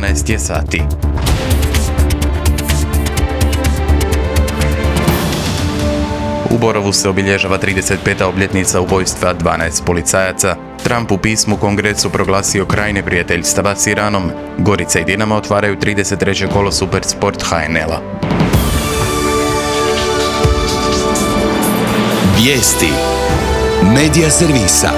12 je sati. U Borovu se obilježava 35. obljetnica ubojstva 12 policajaca. Trump u pismu Kongresu proglasio kraj neprijateljstava s Iranom. Gorica i Dinamo otvaraju 33. kolo Supersport HNL-a. Vijesti Medija servisa.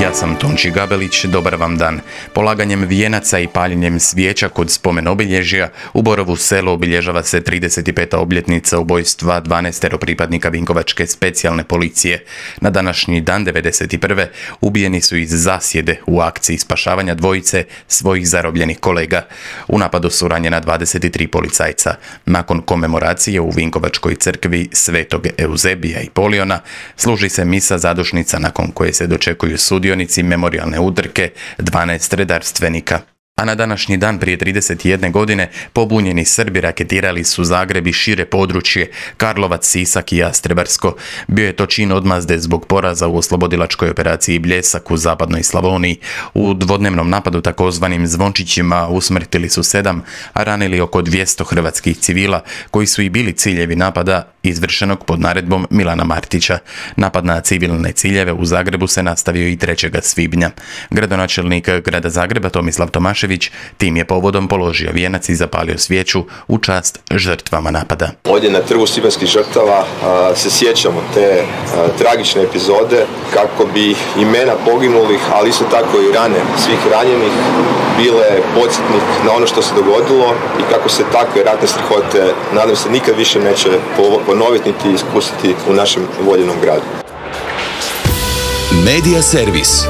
Ja sam Tonči Gabelić, dobar vam dan. Polaganjem vijenaca i paljenjem svijeća kod spomen obilježja u Borovu selu obilježava se 35. obljetnica ubojstva 12 pripadnika Vinkovačke specijalne policije. Na današnji dan 1991. ubijeni su iz zasjede u akciji spašavanja dvojice svojih zarobljenih kolega. U napadu su ranjena 23 policajca. Nakon komemoracije u Vinkovačkoj crkvi Svetog Euzebija i Poliona služi se misa zadušnica nakon koje se dočekuju sudionici memorijalne utrke 12 redarstvenika. A na današnji dan prije 31 godine pobunjeni Srbi raketirali su Zagreb i šire područje, Karlovac, Sisak i Jastrebarsko. Bio je to čin odmazde zbog poraza u oslobodilačkoj operaciji Bljesak u zapadnoj Slavoniji. U dvodnevnom napadu takozvanim Zvončićima usmrtili su 7, a ranili oko 200 hrvatskih civila, koji su i bili ciljevi napada izvršenog pod naredbom Milana Martića. Napad na civilne ciljeve u Zagrebu se nastavio i 3. svibnja. Gradonačelnik grada Zagreba Tomislav Tomašević tim je povodom položio vijenac i zapalio svijeću u čast žrtvama napada. Ovdje na Trgu svibanjskih žrtava se sjećamo te tragične epizode kako bi imena poginulih, ali isto tako i rane svih ranjenih bile podsjetnik na ono što se dogodilo i kako se takve ratne strahote, nadam se, nikad više neće ponoviti niti ispustiti u našem voljenom gradu. Medija servis.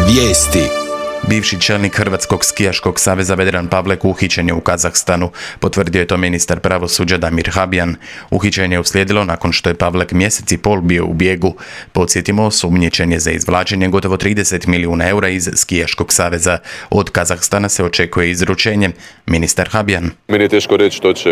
Vijesti. Bivši čelnik Hrvatskog skijaškog saveza Vedran Pavlek uhićen je u Kazahstanu, potvrdio je to ministar pravosuđa Damir Habjan. Uhićenje je uslijedilo nakon što je Pavlek mjesec i pol bio u bijegu. Podsjetimo, osumnjičen je za izvlačenje gotovo 30 milijuna eura iz skijaškog saveza. Od Kazahstana se očekuje izručenje. Ministar Habjan. Meni je teško reći što će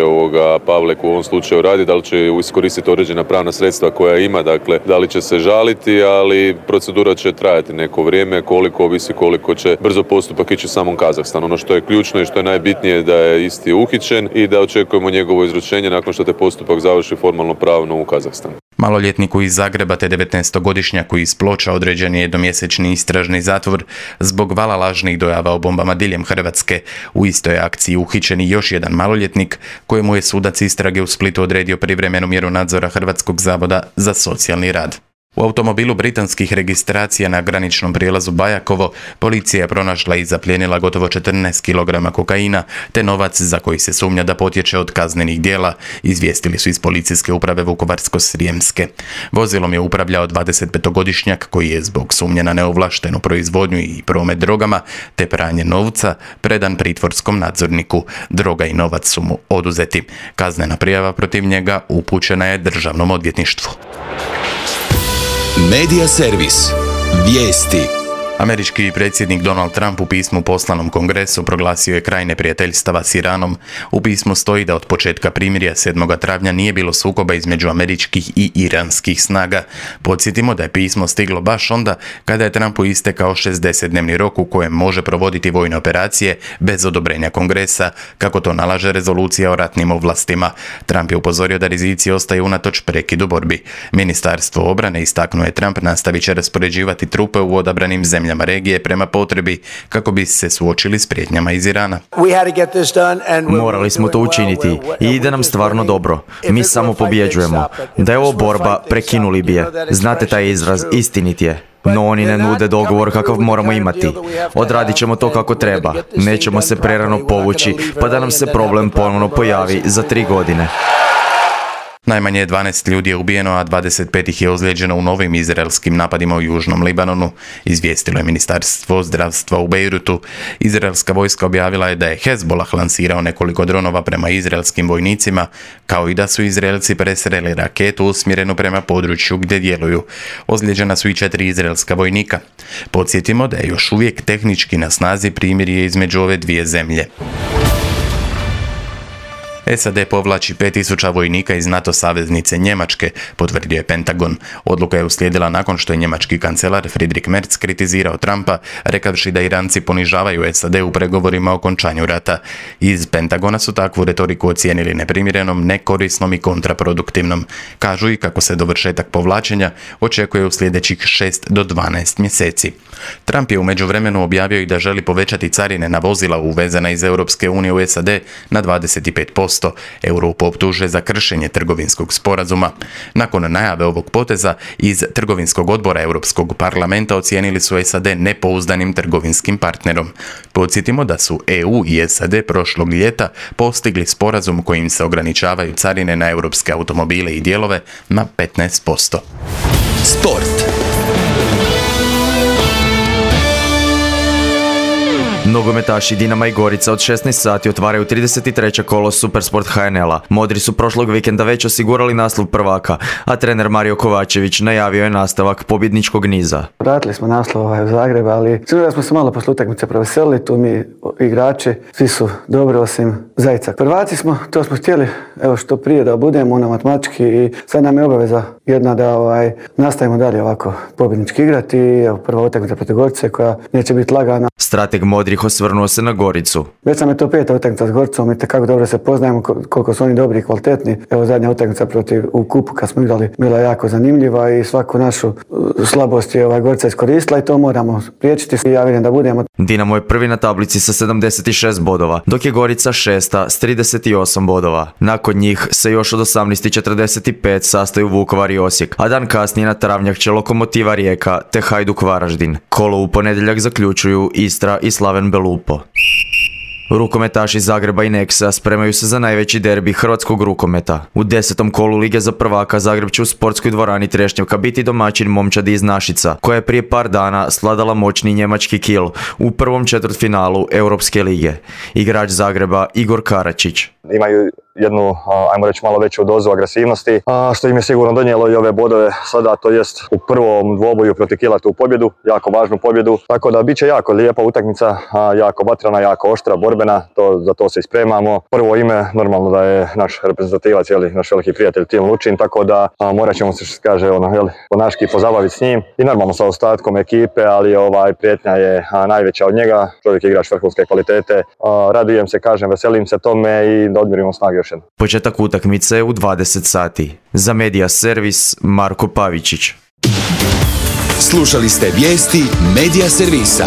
Pavlek u ovom slučaju raditi, da li će iskoristiti određena pravna sredstva koja ima, dakle da li će se žaliti, ali procedura će trajati neko vrijeme, koliko će brzo postupak ići u samom Kazahstanu. Ono što je ključno i što je najbitnije da je isti uhićen i da očekujemo njegovo izručenje nakon što te postupak završi formalno pravno u Kazahstanu. Maloljetniku iz Zagreba te 19-godišnjaku iz Ploča određen je jednomjesečni istražni zatvor zbog vala lažnih dojava o bombama diljem Hrvatske. U istoj akciji uhićen i još jedan maloljetnik kojemu je sudac istrage u Splitu odredio privremenu mjeru nadzora Hrvatskog zavoda za socijalni rad. U automobilu britanskih registracija na graničnom prijelazu Bajakovo policija je pronašla i zaplijenila gotovo 14 kg kokaina te novac za koji se sumnja da potječe od kaznenih djela, izvijestili su iz policijske uprave Vukovarsko-srijemske. Vozilom je upravljao 25-godišnjak koji je zbog sumnje na neovlaštenu proizvodnju i promet drogama te pranje novca predan pritvorskom nadzorniku. Droga i novac su mu oduzeti. Kaznena prijava protiv njega upućena je Državnom odvjetništvu. Medija servis. Vijesti. Američki predsjednik Donald Trump u pismu poslanom Kongresu proglasio je kraj neprijateljstava s Iranom. U pismu stoji da od početka primirja 7. travnja nije bilo sukoba između američkih i iranskih snaga. Podsjetimo da je pismo stiglo baš onda kada je Trumpu istekao 60-dnevni rok u kojem može provoditi vojne operacije bez odobrenja Kongresa, kako to nalaže rezolucija o ratnim ovlastima. Trump je upozorio da rizici ostaju unatoč prekidu borbi. Ministarstvo obrane, istaknuo je Trump, nastavit će raspoređivati trupe u odabranim zemljama regije prema potrebi kako bi se suočili s prijetnjama iz Irana. Morali smo to učiniti i ide nam stvarno dobro. Mi samo pobjeđujemo. Da je ovo borba, prekinuli bi je. Znate taj izraz, istinit je. No oni ne nude dogovor kakav moramo imati. Odradit ćemo to kako treba. Nećemo se prerano povući pa da nam se problem ponovno pojavi za 3 godine. Najmanje 12 ljudi je ubijeno, a 25 ih je ozlijeđeno u novim izraelskim napadima u južnom Libanonu, izvijestilo je Ministarstvo zdravstva u Bejrutu. Izraelska vojska objavila je da je Hezbollah lansirao nekoliko dronova prema izraelskim vojnicima, kao i da su Izraelci presreli raketu usmjerenu prema području gdje djeluju. Ozlijeđena su i 4 izraelska vojnika. Podsjetimo da je još uvijek tehnički na snazi primirje između ove dvije zemlje. SAD povlači 5000 vojnika iz NATO saveznice Njemačke, potvrdio je Pentagon. Odluka je uslijedila nakon što je njemački kancelar Friedrich Merz kritizirao Trumpa, rekavši da Iranci ponižavaju SAD u pregovorima o okončanju rata. Iz Pentagona su takvu retoriku ocijenili neprimjerenom, nekorisnom i kontraproduktivnom. Kažu i kako se dovršetak povlačenja očekuje u sljedećih 6 do 12 mjeseci. Trump je u međuvremenu objavio i da želi povećati carine na vozila uvezena iz Europske unije u SAD na 25%. Europu optuže za kršenje trgovinskog sporazuma. Nakon najave ovog poteza, iz trgovinskog odbora Europskog parlamenta ocijenili su SAD nepouzdanim trgovinskim partnerom. Podsjetimo da su EU i SAD prošlog ljeta postigli sporazum kojim se ograničavaju carine na europske automobile i dijelove na 15%. Sport. Nogometaši Dinama i Gorica od 16 sati otvaraju 33. kolo Supersport HNL-a. Modri su prošlog vikenda već osigurali naslov prvaka, a trener Mario Kovačević najavio je nastavak pobjedničkog niza. Vratili smo naslov u Zagreb, ali sigurno smo se malo posle utakmice proveselili, tu mi igrači, svi su dobro osim Zajca. Prvaci smo, to smo htjeli, evo što prije da budemo matematički i sad nam je obaveza jedna da nastavimo dalje ovako pobjednički igrati i evo prva utakmica protiv Gorice koja neće biti lagana. Strateg Modrih osvrnuo se na Goricu. Već sam je to 5. utakmica s Goricom i tekako dobro se poznajemo koliko su oni dobri i kvalitetni. Evo zadnja utakmica u kupu kad smo igrali bila jako zanimljiva i svaku našu slabost je Gorica iskoristila i to moramo priječiti i ja vidim da budemo. Dinamo je prvi na tablici sa 76 bodova, dok je Gorica šesta s 38 bodova. Nakon njih se još od 18:45 sastaju Vukovar i Osijek, a dan kasnije na travnjak će Lokomotiva Rijeka te Hajduk Varaždin. Kolo u ponedjeljak zaključuju Istra i Slaven Belupo. Rukometaši Zagreba i Nexa spremaju se za najveći derbi hrvatskog rukometa. U 10. kolu Lige za prvaka Zagreb će u sportskoj dvorani Trešnjevka biti domaćin Momčadi iz Našica, koja je prije par dana sladala moćni njemački Kiel u prvom četvrtfinalu Europske lige. Igrač Zagreba Igor Karačić. Imaju jednu, ajmo reći, malo veću dozu agresivnosti, što im je sigurno donijelo i ove bodove sada, to jest u prvom dvoboju protiv Kiela tu pobjedu, jako važnu pobjedu. Tako da bit će jako lijepa utakmica, jako vatrana, jako oštra, borbena, za to se ispremamo. Prvo ime, normalno da je naš reprezentativac, naš veliki prijatelj Tim Lučin, tako da morat ćemo se, što se kaže, po naški pozabaviti s njim i normalno sa ostatkom ekipe, ali prijetnja je najveća od njega, čovjek je igrač vrhunske kvalitete. Radujem se, kažem, veselim se tome i da odmirimo snage još jedno. Početak utakmice je u 20 sati. Za Media Servis Marko Pavičić. Slušali ste vijesti Media Servisa.